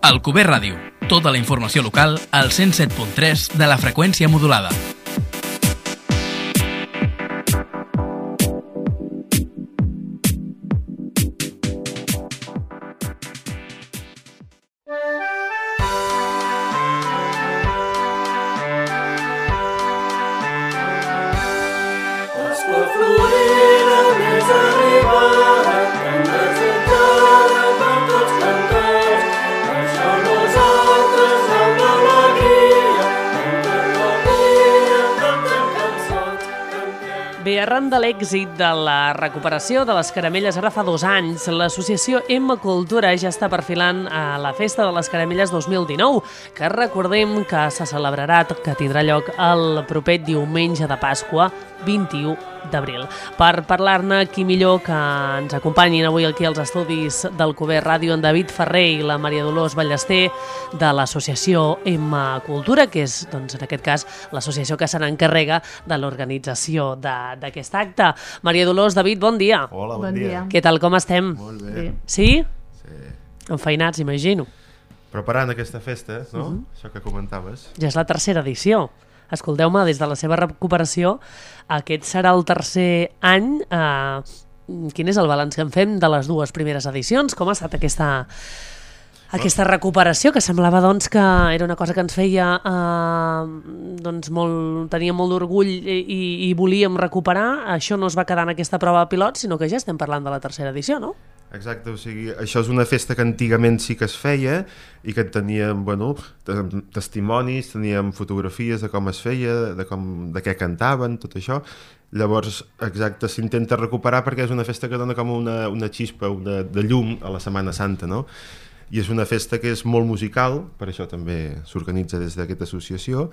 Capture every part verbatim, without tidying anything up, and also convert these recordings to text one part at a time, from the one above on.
Alcover Ràdio. Tota la informació local al cent set punt tres de la freqüència modulada. Arran de l'èxit de la recuperació de les caramelles ara fa dos anys, l'associació Emma Cultura ja està perfilant a la Festa de les Caramelles dos mil dinou, que recordem que se celebrarà, que tindrà lloc el proper diumenge de Pasqua, vint-i-u d'abril. Per parlar-ne, qui millor que ens acompanyin avui aquí als estudis d'Alcover Ràdio, en David Ferrer i la Maria Dolors Ballester de l'associació Emma Cultura, que és, doncs, en aquest cas, l'associació que se n'encarrega de l'organització d'aquest acte. Maria Dolors, David, bon dia. Hola, bon, bon dia. dia. Què tal, com estem? Molt bé. bé. Sí? Sí. Enfeinats, imagino. Preparant aquesta festa, no? Uh-huh. Això que comentaves. Ja és la tercera edició. Escolteu-me, des de la seva recuperació, aquest serà el tercer any. Eh, quin és el balanç que en fem de les dues primeres edicions? Com ha estat aquesta, aquesta recuperació, que semblava doncs, que era una cosa que ens feia eh, doncs, molt, tenia molt d'orgull i, i, i volíem recuperar? Això no es va quedar en aquesta prova pilot, sinó que ja estem parlant de la tercera edició, no? Exacte, o sigui, això és una festa que antigament sí que es feia i que teníem, bueno, testimonis, teníem fotografies de com es feia, de, com, de què cantaven, tot això. Llavors, exacte, s'intenta recuperar perquè és una festa que dona com una, una xispa, una, de llum a la Setmana Santa, no? I és una festa que és molt musical, per això també s'organitza des d'aquesta associació,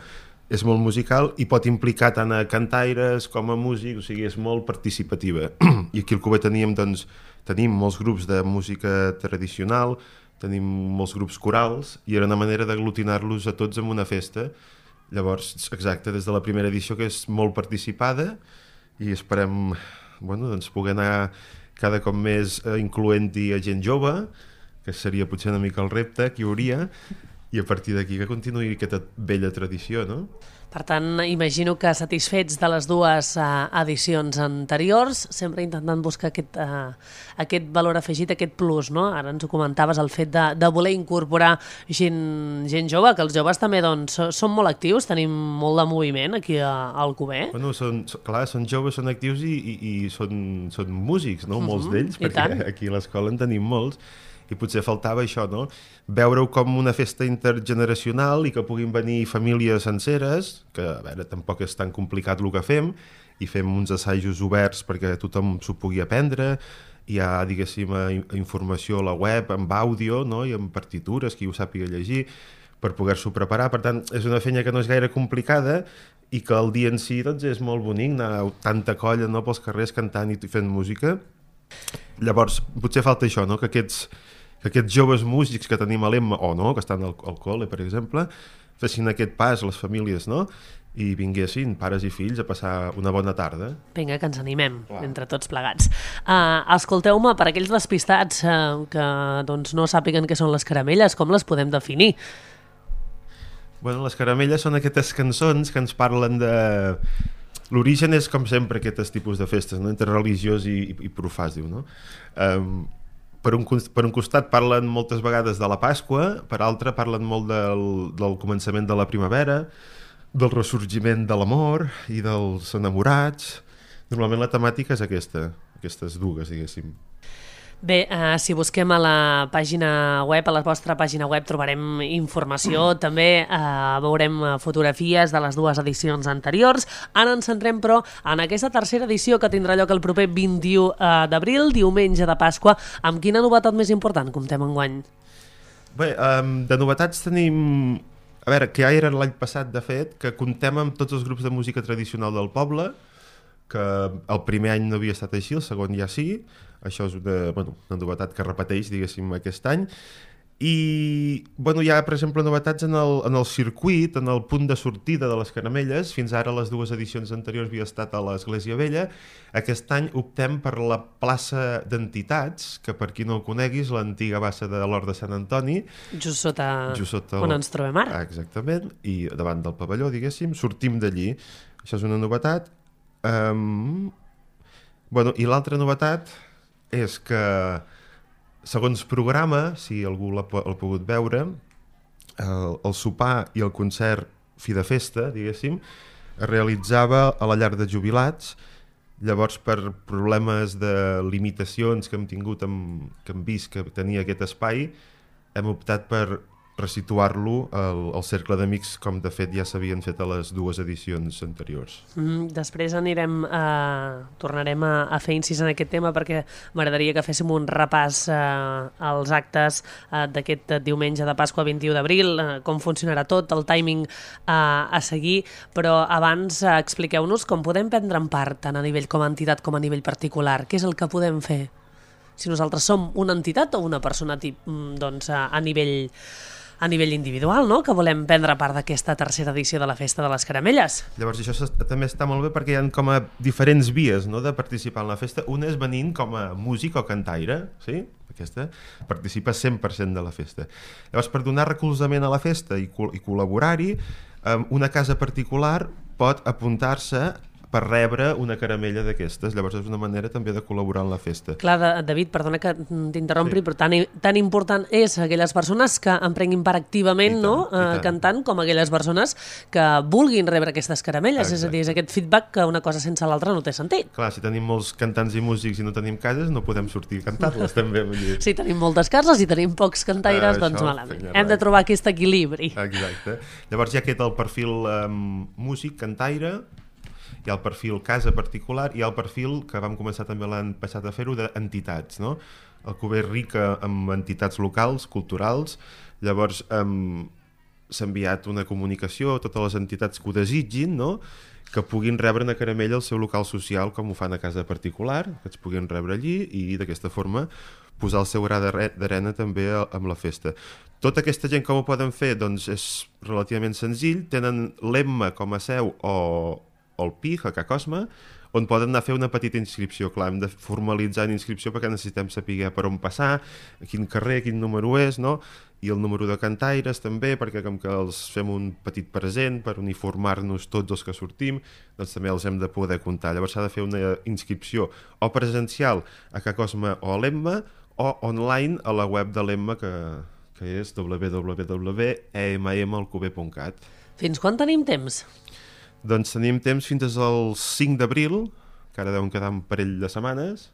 és molt musical i pot implicar tant a cantaires com a músics, o sigui, és molt participativa. I aquí al Alcover teníem, doncs, tenim molts grups de música tradicional, tenim molts grups corals i era una manera d'aglutinar-los a tots en una festa. Llavors, exacte, des de la primera edició, que és molt participada, i esperem, bueno, doncs, poder anar cada cop més incloent-hi a gent jove, que seria potser una mica el repte que hi hauria, i a partir d'aquí que continuï aquesta vella tradició, no? Per tant, imagino que satisfets de les dues uh, edicions anteriors, sempre intentant buscar aquest, uh, aquest valor afegit, aquest plus, no? Ara ens ho comentaves, el fet de, de voler incorporar gent, gent jove, que els joves també doncs, són molt actius, tenim molt de moviment aquí a, a Alcover. Bueno, són, clar, són joves, són actius i, i, i són, són músics, no? Uh-huh, molts d'ells, perquè tant. Aquí a l'escola en tenim molts. I potser faltava això, no? Veure-ho com una festa intergeneracional i que puguin venir famílies senceres, que, a veure, tampoc és tan complicat el que fem, i fem uns assajos oberts perquè tothom s'ho pugui aprendre, hi ha, diguéssim, informació a la web, amb àudio, no? I amb partitures, qui ho sàpiga llegir, per poder-s'ho preparar. Per tant, és una feina que no és gaire complicada i que el dia en si, doncs, és molt bonic, anar tanta colla, no?, pels carrers cantant i fent música. Llavors, potser falta això, no?, que aquests que aquests joves músics que tenim a l'Emma, o no, que estan al, al col·le, per exemple, fessin aquest pas a les famílies, no?, i vinguessin pares i fills a passar una bona tarda. Vinga, que ens animem, clar, entre tots plegats. Uh, escolteu-me, per aquells despistats uh, que doncs, no sàpiguen què són les caramelles, com les podem definir? Bueno, les caramelles són aquestes cançons que ens parlen de... L'origen és, com sempre, aquests tipus de festes, no?, entre religiós i, i, i profà, es diu, no? Um, Per un, per un costat parlen moltes vegades de la Pasqua, per altre parlen molt del, del començament de la primavera, del ressorgiment de l'amor i dels enamorats. Normalment la temàtica és aquesta, aquestes dues, diguéssim. Bé, uh, si busquem a la pàgina web, a la vostra pàgina web, trobarem informació, mm. també uh, veurem fotografies de les dues edicions anteriors. Ara ens centrem, però, en aquesta tercera edició que tindrà lloc el proper vint-i-u d'abril, diumenge de Pasqua. Amb quina novetat més important comptem enguany? Bé, um, de novetats tenim... A veure, que ja era l'any passat, de fet, que comptem amb tots els grups de música tradicional del poble, que el primer any no havia estat així, el segon ja sí. Això és una, bueno, una novetat que repeteix, diguéssim, aquest any. I bueno, hi ha, per exemple, novetats en el, en el circuit, en el punt de sortida de les caramelles. Fins ara les dues edicions anteriors havia estat a l'Església Vella. Aquest any optem per la plaça d'Entitats, que per qui no ho coneguis, l'antiga bassa de l'Hort de Sant Antoni. Just sota, just sota on el... ens trobem ara. Ah, exactament, i davant del pavelló, diguéssim, sortim d'allí. Això és una novetat. Um... Bueno, i l'altra novetat és que segons programa, si algú l'ha pogut veure, el, el sopar i el concert fi de festa, diguéssim, es realitzava a la llar de jubilats. Llavors, per problemes de limitacions que hem tingut, amb, que hem vist que tenia aquest espai, hem optat per resituar-lo al, al cercle d'amics, com de fet ja s'havien fet a les dues edicions anteriors. Mm, després anirem a... tornarem a, a fer incís en aquest tema, perquè m'agradaria que féssim un repàs eh, als actes eh, d'aquest diumenge de Pasqua vint-i-u d'abril, eh, com funcionarà tot, el timing eh, a seguir, però abans eh, expliqueu-nos com podem prendre en part, tant a nivell com a entitat com a nivell particular. Què és el que podem fer? Si nosaltres som una entitat o una persona tip, doncs, a, a nivell... a nivell individual, no?, que volem prendre part d'aquesta tercera edició de la Festa de les Caramelles. Llavors, això també està molt bé perquè hi ha com a diferents vies, no?, de participar en la festa. Una és venint com a músic o cantaire, sí? Aquesta participa cent per cent de la festa. Llavors, per donar recolzament a la festa i, col i col·laborar-hi, una casa particular pot apuntar-se per rebre una caramella d'aquestes. Llavors és una manera també de col·laborar en la festa. Clar, David, perdona que t'interrompri, sí. Però tan, tan important és aquelles persones que en prenguin part activament, tant, no? Eh, cantant, com aquelles persones que vulguin rebre aquestes caramelles. Exacte. És a dir, és aquest feedback que una cosa sense l'altra no té sentit. Clar, si tenim molts cantants i músics i no tenim cases, no podem sortir a cantar-les també. Si tenim moltes cases i tenim pocs cantaires, ah, doncs malament. Hem de trobar aquest equilibri. Exacte. Llavors hi ha aquest el perfil um, músic, cantaire, hi ha el perfil casa particular i hi ha el perfil que vam començar també l'any passat a fer-ho d'entitats, no? El Cuber rica amb entitats locals, culturals. Llavors um, s'ha enviat una comunicació a totes les entitats que ho desitgin, no?, que puguin rebre una caramella al seu local social, com ho fan a casa particular, que es puguin rebre allí i d'aquesta forma posar el seu gra d'arena també amb la festa. Tota aquesta gent com ho poden fer? Doncs és relativament senzill. Tenen l'Emma com a seu o o el P I G, a Ca Cosme, on poden anar a fer una petita inscripció. Clar, hem de formalitzar una inscripció perquè necessitem saber per on passar, a quin carrer, quin número és, no? I el número de cantaires també, perquè com que els fem un petit present per uniformar-nos tots els que sortim, doncs també els hem de poder comptar. Llavors s'ha de fer una inscripció o presencial a Ca Cosme o a l'Emma, o online a la web de l'Emma, que, que és w w w punt e m m alcover punt cat. Fins quan tenim temps? Doncs tenim temps fins al cinc d'abril, que ara deuen quedar un parell de setmanes,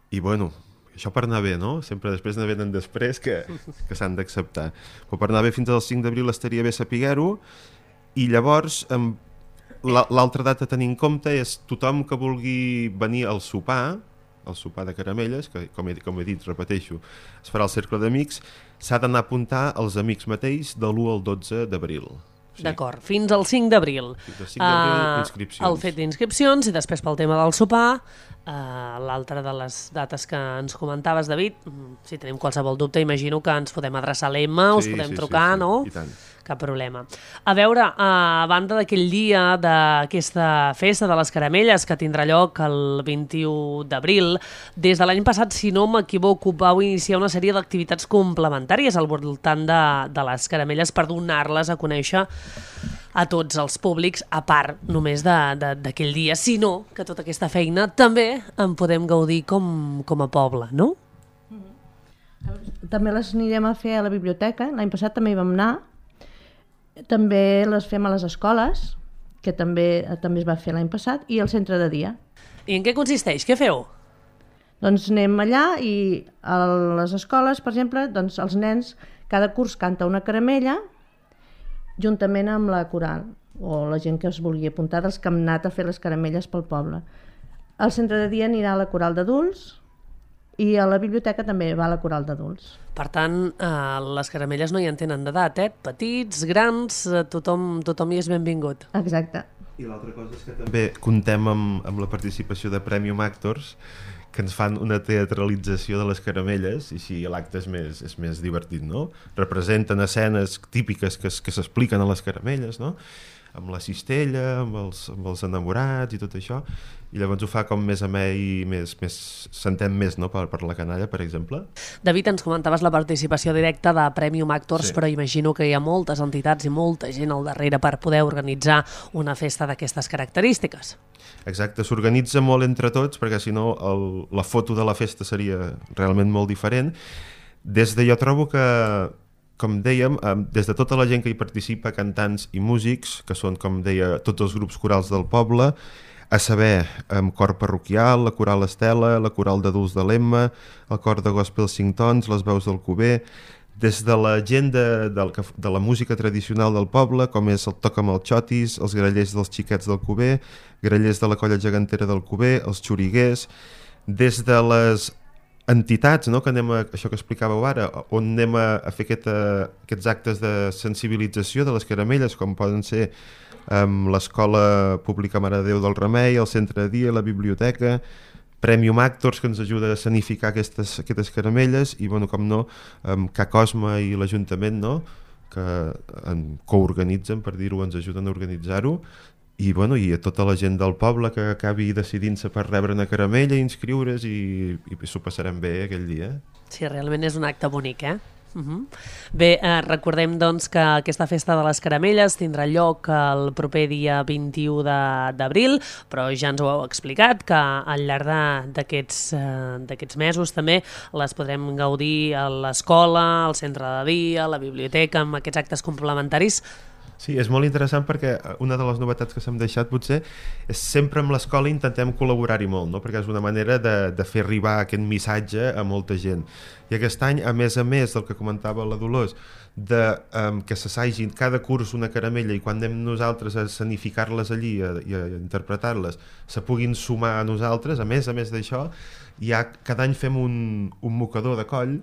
i bueno, això per anar bé, no? Sempre després ne venen després que, que s'han d'acceptar. Però per anar bé fins al cinc d'abril estaria bé saber-ho, i llavors l'altra data a tenir en compte és tothom que vulgui venir al sopar, el sopar de caramelles, que com he, com he dit, repeteixo, es farà al cercle d'amics, s'ha d'anar a apuntar els amics mateix de l'u al dotze d'abril. Sí. D'acord, fins al cinc d'abril. Fins al cinc d'abril, uh, inscripcions. El fet d'inscripcions i després pel tema del sopar, uh, l'altra de les dates que ens comentaves, David, si tenim qualsevol dubte, imagino que ens podem adreçar a l'Emma, sí, us podem sí, trucar, sí, sí. No? I tant. Cap problema. A veure, a banda d'aquell dia d'aquesta festa de les caramelles que tindrà lloc el vint-i-u d'abril, des de l'any passat, si no m'equivoco, vau iniciar una sèrie d'activitats complementàries al voltant de, de les caramelles per donar-les a conèixer a tots els públics, a part només d'aquell dia, sinó que tota aquesta feina també en podem gaudir com, com a poble, no? També les anirem a fer a la biblioteca, l'any passat també hi vam anar. També les fem a les escoles, que també també es va fer l'any passat, i al centre de dia. I en què consisteix? Què feu? Doncs anem allà i a les escoles, per exemple, doncs els nens cada curs canta una caramella juntament amb la coral, o la gent que es vulgui apuntar dels que han anat a fer les caramelles pel poble. Al centre de dia anirà la coral d'adults i a la biblioteca també va la coral d'adults. Per tant, eh, les caramelles no hi en tenen d'edat, eh? Petits, grans, eh, tothom, tothom hi és benvingut. Exacte. I l'altra cosa és que també contem amb, amb la participació de Premium Actors, que ens fan una teatralització de les caramelles, i així l'acte és més, és més divertit, no? Representen escenes típiques que, que s'expliquen a les caramelles, no? Amb la cistella, amb els, amb els enamorats i tot això, i llavors ho fa com més amè i més, més s'entén més, no? per, per la canalla, per exemple. David, ens comentaves la participació directa de Premium Actors, sí. Però imagino que hi ha moltes entitats i molta gent al darrere per poder organitzar una festa d'aquestes característiques. Exacte, s'organitza molt entre tots, perquè si no el, la foto de la festa seria realment molt diferent. Des de jo trobo que, com dèiem, des de tota la gent que hi participa, cantants i músics, que són, com deia, tots els grups corals del poble, a saber, amb cor parroquial, la coral Estela, la coral d'adults de l'Emma, el cor de gospel cinc tons, les veus del Cuber, des de la gent de, de, de la música tradicional del poble, com és el Toc amb els Xotis, els grallers dels xiquets del Cuber, grallers de la colla gegantera del Cuber, els xoriguers, des de les entitats, no? Que anem a, això que explicàveu ara, on anem a, a fer aquest, a, aquests actes de sensibilització de les caramelles, com poden ser amb l'Escola Pública Mare de Déu del Remei, el Centre de Dia, la Biblioteca, Premium Actors, que ens ajuda a sanificar aquestes, aquestes caramelles, i, bueno, com no, amb Ca Cosma i l'Ajuntament, no?, que en coorganitzen, per dir-ho, ens ajuden a organitzar-ho, i, bueno, i a tota la gent del poble que acabi decidint-se per rebre una caramella i inscriure's, i, i s'ho passarem bé aquell dia. Sí, realment és un acte bonic, eh? Uh-huh. Bé, eh, recordem doncs que aquesta festa de les caramelles tindrà lloc el proper dia vint-i-u d'abril, però ja ens ho heu explicat que al llarg d'aquests eh, d'aquests mesos també les podrem gaudir a l'escola, al centre de dia, a la biblioteca, amb aquests actes complementaris. Sí, és molt interessant perquè una de les novetats que s'hem deixat potser és sempre amb l'escola intentem col·laborar-hi molt, no? Perquè és una manera de, de fer arribar aquest missatge a molta gent. I aquest any, a més a més del que comentava la Dolors, de um, que s'assagin cada curs una caramella i quan anem nosaltres a escenificar-les allí a, i a interpretar-les se puguin sumar a nosaltres, a més a més d'això, ja cada any fem un, un mocador de coll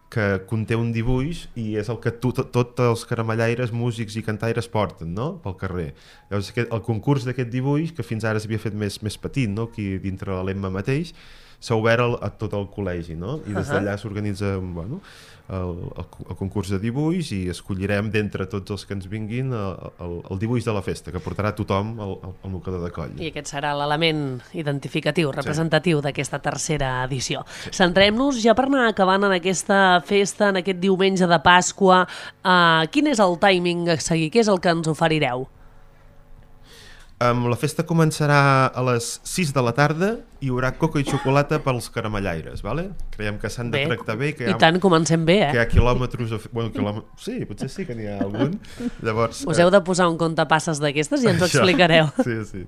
que conté un dibuix i és el que tots tot els caramellaires, músics i cantaires porten, no?, pel carrer. Llavors, aquest, el concurs d'aquest dibuix, que fins ara s'havia fet més, més petit, no?, aquí dintre de l'Emma mateix, s'ha obert el, a tot el col·legi, no?, i des d'allà s'organitza, bueno, el, el, el concurs de dibuix i escollirem d'entre tots els que ens vinguin el, el, el dibuix de la festa, que portarà tothom al, al mocador de coll. I aquest serà l'element identificatiu, representatiu, sí, d'aquesta tercera edició. Sí. Centrem-nos ja per anar acabant en aquesta festa, en aquest diumenge de Pasqua. Uh, quin és el timing a seguir? Què és el que ens oferireu? Um, la festa començarà a les sis de la tarda i hi haurà coca i xocolata pels caramellaires, vale? Creiem que s'han de tractar bé, que hi ha, i tant, comencem bé, eh? Que hi ha quilòmetres... A... Bueno, quilòmetres... Sí, potser sí que n'hi ha algun. Llavors, us heu de posar un comptapasses d'aquestes i ens ho explicareu. Sí, sí.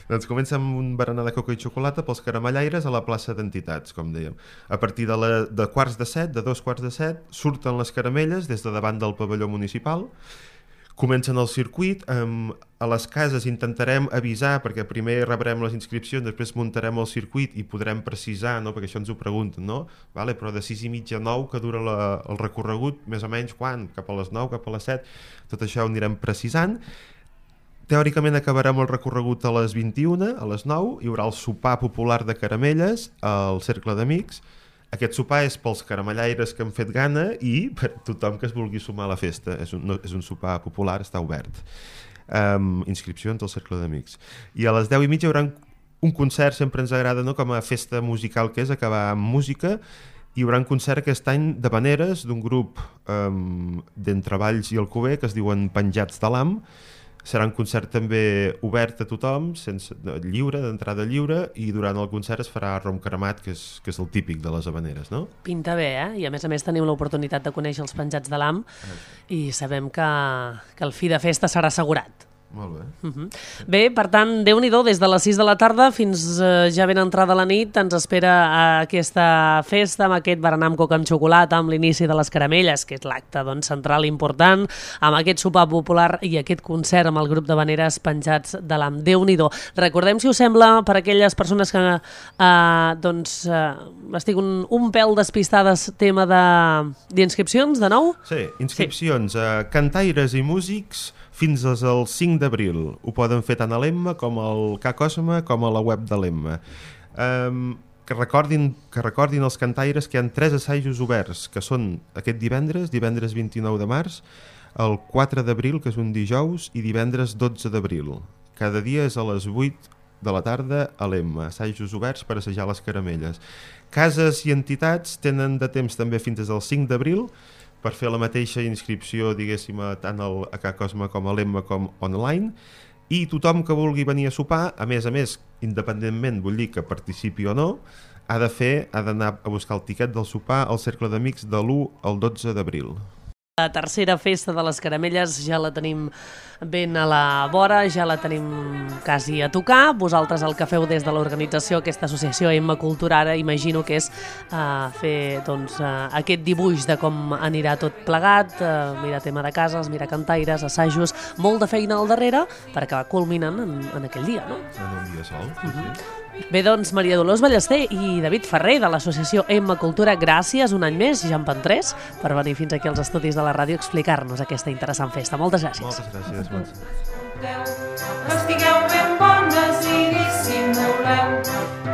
Doncs comença amb un berenar de coca i xocolata pels caramellaires a la plaça d'Entitats, com dèiem. A partir de, la, de quarts de set, de dos quarts de set, surten les caramelles des de davant del pavelló municipal. Comencen el circuit, um, a les cases intentarem avisar, perquè primer rebrem les inscripcions, després muntarem el circuit i podrem precisar, no? Perquè això ens ho pregunten, no? Vale, però de sis i mitja a nou que dura la, el recorregut, més o menys quan? Cap a les nou, cap a les set, tot això ho anirem precisant. Teòricament acabarem el recorregut a les vint-i-una, a les nou, hi haurà el sopar popular de caramelles al Cercle d'Amics. Aquest sopar és pels caramellaires que han fet gana i per tothom que es vulgui sumar a la festa. És un, no, és un sopar popular, està obert. Um, inscripcions al Cercle d'Amics. I a les deu i mitja hi haurà un concert, sempre ens agrada, no?, com a festa musical que és, acabar amb música. Hi haurà un concert aquest any de Vaneres, d'un grup um, d'Entre Valls i Alcover, que es diuen Penjats de l'Am. Serà un concert també obert a tothom, sense, lliure, d'entrada lliure, i durant el concert es farà rom cremat, que és, que és el típic de les Havaneres, no? Pinta bé, eh? I a més a més teniu l'oportunitat de conèixer els Penjats de l'Am i sabem que, que el fi de festa serà assegurat. Molt bé. Uh-huh. Bé, per tant, Déu-n'hi-do, des de les sis de la tarda fins eh, ja ben entrada la nit ens espera aquesta festa amb aquest berenar amb coca amb xocolata, amb l'inici de les caramelles, que és l'acte doncs, central important, amb aquest sopar popular i aquest concert amb el grup de Vaneres Penjats de l'Am. Déu-n'hi-do. Recordem, si us sembla, per aquelles persones que eh, doncs, eh, estic un, un pèl despistades, tema d'inscripcions, de, de nou? Sí, inscripcions sí. a cantaires i músics fins al cinc d'abril. Ho poden fer tant a l'Emma com al Ca Cosma com a la web de l'Emma. Um, que recordin, que recordin els cantaires que hi ha tres assajos oberts, que són aquest divendres, divendres vint-i-nou de març, el quatre d'abril, que és un dijous, i divendres dotze d'abril. Cada dia és a les vuit de la tarda a l'Emma, assajos oberts per assajar les caramelles. Cases i entitats tenen de temps també fins al cinc d'abril per fer la mateixa inscripció, diguéssim, tant al, a Ca Cosme com a l'Emma com online, i tothom que vulgui venir a sopar, a més a més, independentment, vull dir que participi o no, ha de fer, ha d'anar a buscar el tiquet del sopar al Cercle d'Amics de l'u al dotze d'abril. La tercera festa de les caramelles ja la tenim ben a la vora, ja la tenim quasi a tocar. Vosaltres el que feu des de l'organització, aquesta associació Emma Cultura, ara imagino que és uh, fer doncs, uh, aquest dibuix de com anirà tot plegat, uh, mirar tema de cases, mirar cantaires, assajos, molt de feina al darrere per acabar culminant en, en aquell dia, no? En un dia sol, sí, sí. Bé, doncs, Maria Dolors Ballester i David Ferrer de l'associació Emma Cultura, gràcies un any més, ja en van tres, per venir fins aquí als estudis de la ràdio a explicar-nos aquesta interessant festa. Moltes gràcies. Moltes gràcies, Montse. Estigueu ben bones i dissimuleu.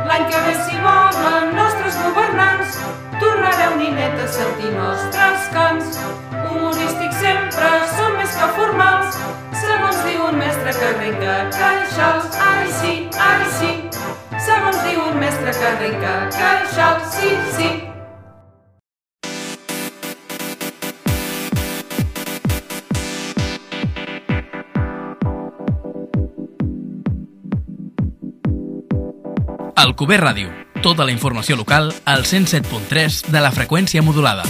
L'any que ve, si volen nostres governants, tornareu, ninet, a sentir nostres cants. Humorístics sempre són més que formals, segons diu un mestre que arrenca caixals. Ai sí, ai sí, segons diu un mestre que arrenca caixals. Sí, sí. Alcover Ràdio. Tota la informació local al cent set punt tres de la freqüència modulada.